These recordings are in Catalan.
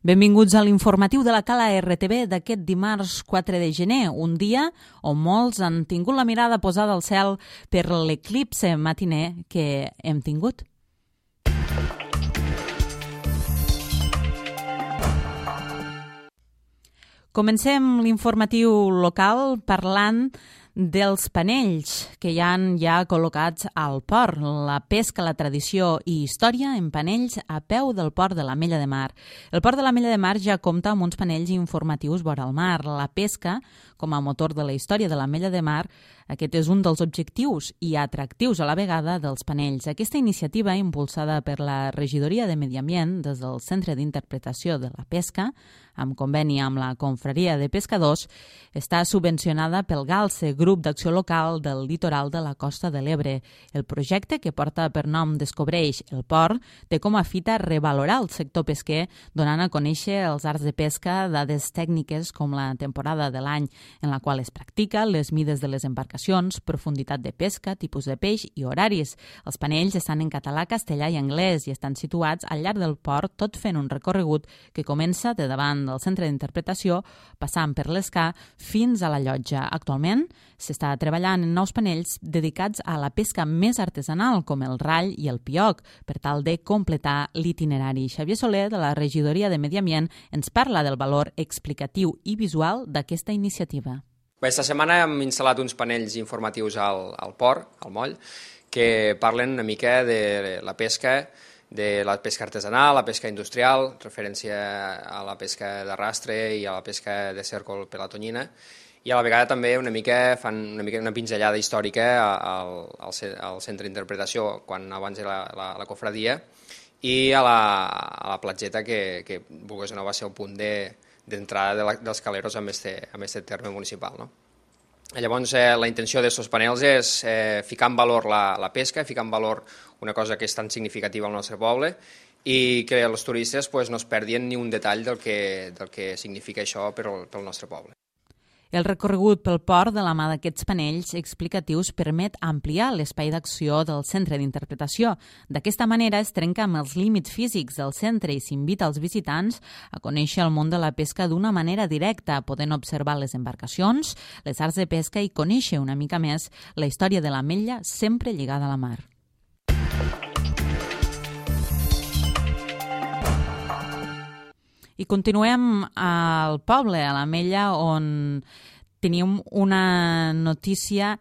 Benvinguts a l'informatiu de la Cala RTV d'aquest dimarts 4 de gener, un dia on molts han tingut la mirada posada al cel per l'eclipse matiner que hem tingut. Comencem l'informatiu local parlant dels panells que hi han ja col·locats al port, la pesca, la tradició i història en panells a peu del port de l'Ametlla de Mar. El port de l'Ametlla de Mar ja compta amb uns panells informatius vora el mar. La pesca, com a motor de la història de l'Ametlla de Mar, aquest és un dels objectius i atractius a la vegada dels panells. Aquesta iniciativa, impulsada per la Regidoria de Medi Ambient des del Centre d'Interpretació de la Pesca, amb conveni amb la Confraria de Pescadors, està subvencionada pel GALCE, Grup d'Acció Local del Litoral de la Costa de l'Ebre. El projecte, que porta per nom Descobreix el Port, té com a fita revalorar el sector pesquer, donant a conèixer els arts de pesca, dades tècniques com la temporada de l'any en la qual es practica, les mides de les embarcacions, profunditat de pesca, tipus de peix i horaris. Els panells estan en català, castellà i anglès i estan situats al llarg del port, tot fent un recorregut que comença de davant del centre d'interpretació, passant per l'Escà fins a la llotja. Actualment s'està treballant en nous panells dedicats a la pesca més artesanal, com el rall i el pioc, per tal de completar l'itinerari. Xavier Soler, de la Regidoria de Medi Ambient, ens parla del valor explicatiu i visual d'aquesta iniciativa. Aquesta setmana hem instal·lat uns panells informatius al port, al moll, que parlen una mica de la pesca artesanal, la pesca industrial, referència a la pesca d'arrastre i a la pesca de cèrcol per la tonyina, i a la vegada també fan una pinzellada històrica al centre d'interpretació, quan abans era la cofradia, i a la platgeta que Burgos de Nou va ser el punt d'entrada dels caleros amb este terme municipal, no? Llavors, la intenció d'aquests panels és ficar en valor la pesca, ficar en valor una cosa que és tan significativa al nostre poble i que els turistes no es perdin ni un detall del que significa això pel nostre poble. El recorregut pel port de la mà d'aquests panells explicatius permet ampliar l'espai d'acció del centre d'interpretació. D'aquesta manera es trenca amb els límits físics del centre i s'invita als visitants a conèixer el món de la pesca d'una manera directa, podent observar les embarcacions, les arts de pesca i conèixer una mica més la història de l'Ametlla sempre lligada a la mar. I continuem al poble, a l'Ametlla, on tenim una notícia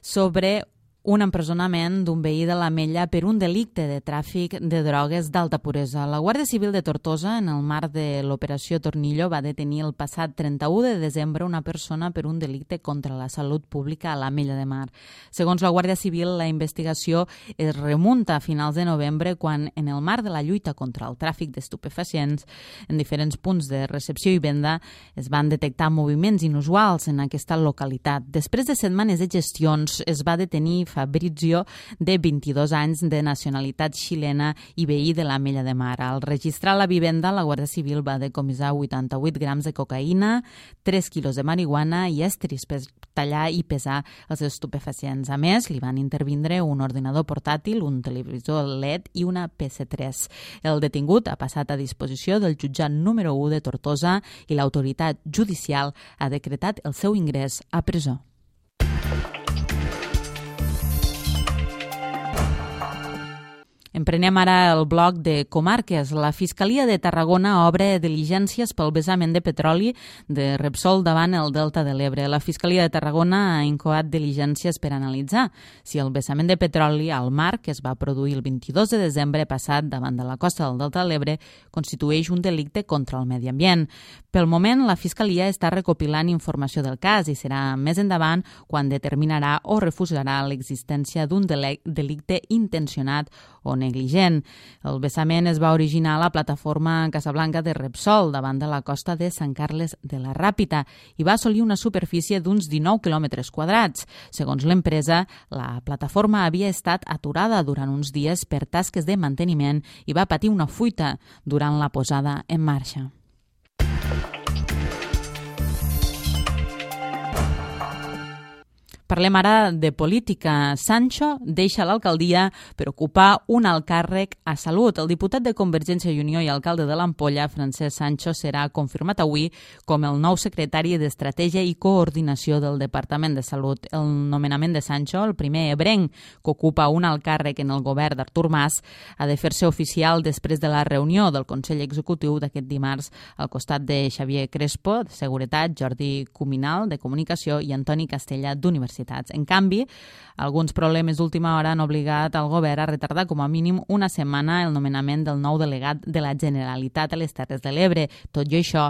sobre un empresonament d'un veí de l'Ametlla per un delicte de tràfic de drogues d'alta puresa. La Guàrdia Civil de Tortosa, en el marc de l'operació Tornillo, va detenir el passat 31 de desembre una persona per un delicte contra la salut pública a l'Ametlla de Mar. Segons la Guàrdia Civil, la investigació es remunta a finals de novembre, quan, en el marc de la lluita contra el tràfic d'estupefacients, en diferents punts de recepció i venda, es van detectar moviments inusuals en aquesta localitat. Després de setmanes de gestions, es va detenir Fabrizio, de 22 anys, de nacionalitat xilena i veí de l'Ametlla de Mar. Al registrar la vivenda, la Guàrdia Civil va decomissar 88 grams de cocaïna, 3 quilos de marihuana i estris per tallar i pesar els estupefacients. A més, li van intervindre un ordinador portàtil, un televisor LED i una PS3. El detingut ha passat a disposició del jutjat número 1 de Tortosa i l'autoritat judicial ha decretat el seu ingrés a presó. Emprenem ara el bloc de comarques. La Fiscalia de Tarragona obre diligències pel vessament de petroli de Repsol davant el Delta de l'Ebre. La Fiscalia de Tarragona ha incoat diligències per analitzar si el vessament de petroli al mar, que es va produir el 22 de desembre passat davant de la costa del Delta de l'Ebre, constitueix un delicte contra el medi ambient. Pel moment, la Fiscalia està recopilant informació del cas i serà més endavant quan determinarà o refusarà l'existència d'un delicte intencionat o negligent. El vessament es va originar a la plataforma Casablanca de Repsol, davant de la costa de Sant Carles de la Ràpita, i va assolir una superfície d'uns 19 quilòmetres quadrats. Segons l'empresa, la plataforma havia estat aturada durant uns dies per tasques de manteniment i va patir una fuita durant la posada en marxa. Parlem ara de política. Sancho deixa l'alcaldia per ocupar un alt càrrec a Salut. El diputat de Convergència i Unió i alcalde de l'Ampolla, Francesc Sancho, serà confirmat avui com el nou secretari d'Estratègia i Coordinació del Departament de Salut. El nomenament de Sancho, el primer ebrenc que ocupa un alt càrrec en el govern d'Artur Mas, ha de fer-se oficial després de la reunió del Consell Executiu d'aquest dimarts al costat de Xavier Crespo, de Seguretat, Jordi Cuminal, de Comunicació, i Antoni Castella, d'Universitats. En canvi, alguns problemes d'última hora han obligat al govern a retardar com a mínim una setmana el nomenament del nou delegat de la Generalitat a les Terres de l'Ebre. Tot i això,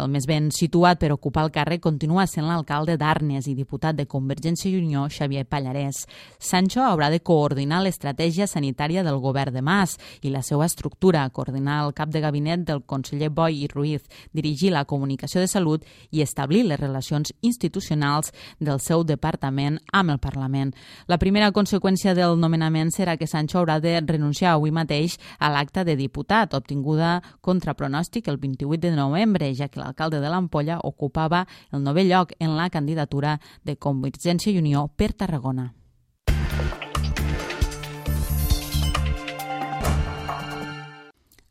el més ben situat per ocupar el càrrec continua sent l'alcalde d'Arnes i diputat de Convergència i Unió, Xavier Pallarès. Sancho haurà de coordinar l'estratègia sanitària del govern de Mas i la seva estructura, coordinar el cap de gabinet del conseller Boi i Ruiz, dirigir la comunicació de salut i establir les relacions institucionals del seu departament amb el Parlament. La primera conseqüència del nomenament serà que Sancho haurà de renunciar avui mateix a l'acta de diputat, obtinguda contra pronòstic el 28 de novembre, ja que l'alcalde de l'Ampolla ocupava el 9è lloc en la candidatura de Convergència i Unió per Tarragona.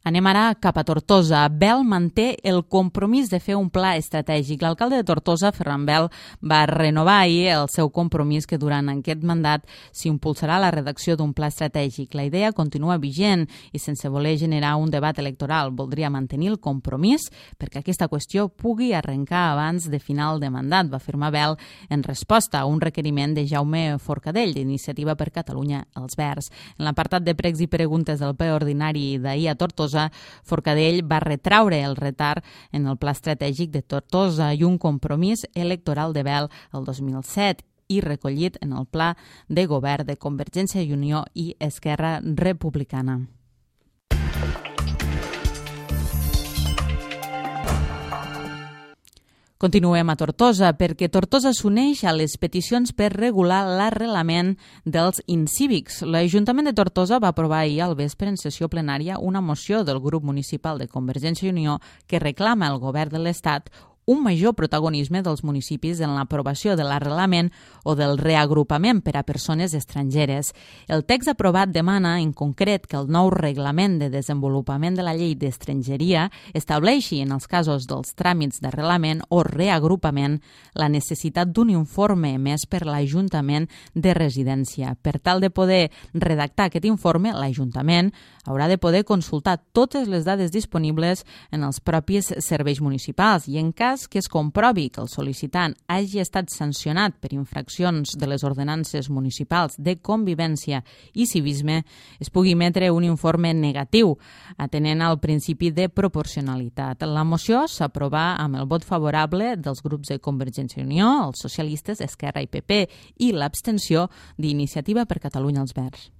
Anem ara cap a Tortosa. Bel manté el compromís de fer un pla estratègic. L'alcalde de Tortosa, Ferran Bel, va renovar ahir el seu compromís que durant aquest mandat s'impulsarà la redacció d'un pla estratègic. La idea continua vigent i sense voler generar un debat electoral. Voldria mantenir el compromís perquè aquesta qüestió pugui arrencar abans de final de mandat, va afirmar Bel en resposta a un requeriment de Jaume Forcadell, d'Iniciativa per Catalunya Els Verds. En l'apartat de pregs i preguntes del ple ordinari d'ahir a Tortosa, Forcadell va retraure el retard en el pla estratègic de Tortosa i un compromís electoral de Bel el 2007 i recollit en el pla de govern de Convergència i Unió i Esquerra Republicana. Continuem a Tortosa, perquè Tortosa s'uneix a les peticions per regular l'arrelament dels incívics. L'Ajuntament de Tortosa va aprovar ahir al vespre en sessió plenària una moció del grup municipal de Convergència i Unió que reclama al govern de l'Estat un major protagonisme dels municipis en l'aprovació de l'arrelament o del reagrupament per a persones estrangeres. El text aprovat demana, en concret, que el nou reglament de desenvolupament de la llei d'estrangeria estableixi, en els casos dels tràmits d'arrelament o reagrupament, la necessitat d'un informe emès per l'Ajuntament de residència. Per tal de poder redactar aquest informe, l'Ajuntament haurà de poder consultar totes les dades disponibles en els propis serveis municipals i, en cas que es comprovi que el sol·licitant hagi estat sancionat per infraccions de les ordenances municipals de convivència i civisme, es pugui emetre un informe negatiu, atenent al principi de proporcionalitat. La moció s'aprovà amb el vot favorable dels grups de Convergència i Unió, els socialistes, Esquerra i PP, i l'abstenció d'Iniciativa per Catalunya Els Verds.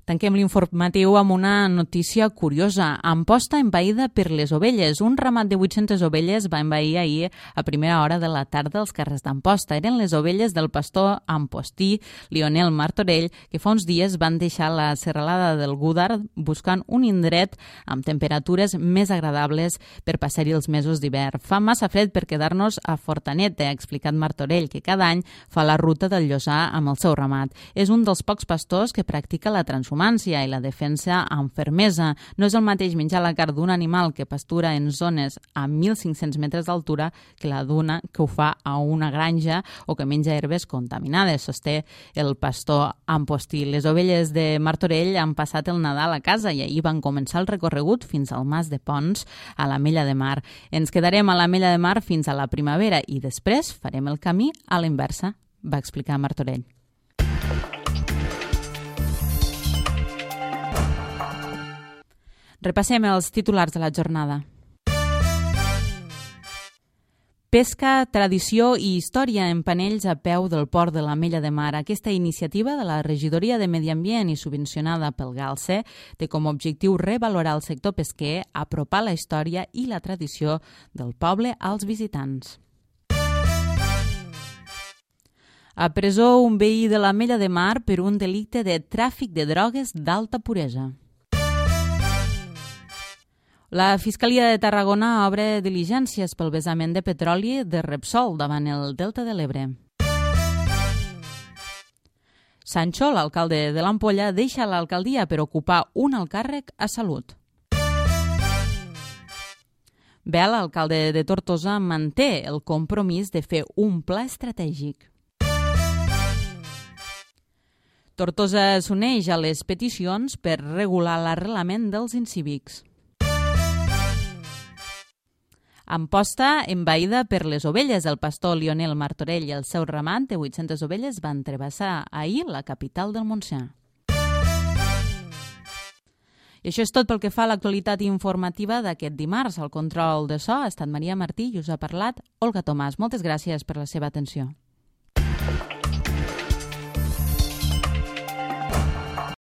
Tanquem l'informatiu amb una notícia curiosa. Amposta envaïda per les ovelles. Un ramat de 800 ovelles va envair ahir a primera hora de la tarda als carrers d'Amposta. Eren les ovelles del pastor ampostí Lionel Martorell, que fa uns dies van deixar la serralada del Gúdar buscant un indret amb temperatures més agradables per passar-hi els mesos d'hivern. Fa massa fred per quedar-nos a Fortanet, ha explicat Martorell, que cada any fa la ruta del Llosà amb el seu ramat. És un dels pocs pastors que practica la transhumància i la defensa amb fermesa. No és el mateix menjar la carn d'un animal que pastura en zones a 1.500 metres d'altura que la d'una que ho fa a una granja o que menja herbes contaminades, sosté el pastor ampostí. Les ovelles de Martorell han passat el Nadal a casa i ahir van començar el recorregut fins al Mas de Pons, a l'Ametlla de Mar. Ens quedarem a l'Ametlla de Mar fins a la primavera i després farem el camí a la inversa, va explicar Martorell. Repassem els titulars de la jornada. Pesca, tradició i història en panells a peu del port de l'Ametlla de Mar. Aquesta iniciativa de la Regidoria de Medi Ambient i subvencionada pel GALCE té com a objectiu revalorar el sector pesquer, apropar la història i la tradició del poble als visitants. A presó un veí de l'Ametlla de Mar per un delicte de tràfic de drogues d'alta puresa. La Fiscalia de Tarragona obre diligències pel vessament de petroli de Repsol davant el Delta de l'Ebre. Sancho, l'alcalde de l'Ampolla, deixa l'alcaldia per ocupar un alt càrrec a Salut. Bel, l'alcalde de Tortosa, manté el compromís de fer un pla estratègic. Tortosa s'uneix a les peticions per regular l'arrelament dels incívics. Amposta envaïda per les ovelles. El pastor Lionel Martorell i el seu ramat de 800 ovelles van travessar ahir la capital del Montsià. I això és tot pel que fa a l'actualitat informativa d'aquest dimarts. Al control de so ha estat Maria Martí i us ha parlat Olga Tomàs. Moltes gràcies per la seva atenció.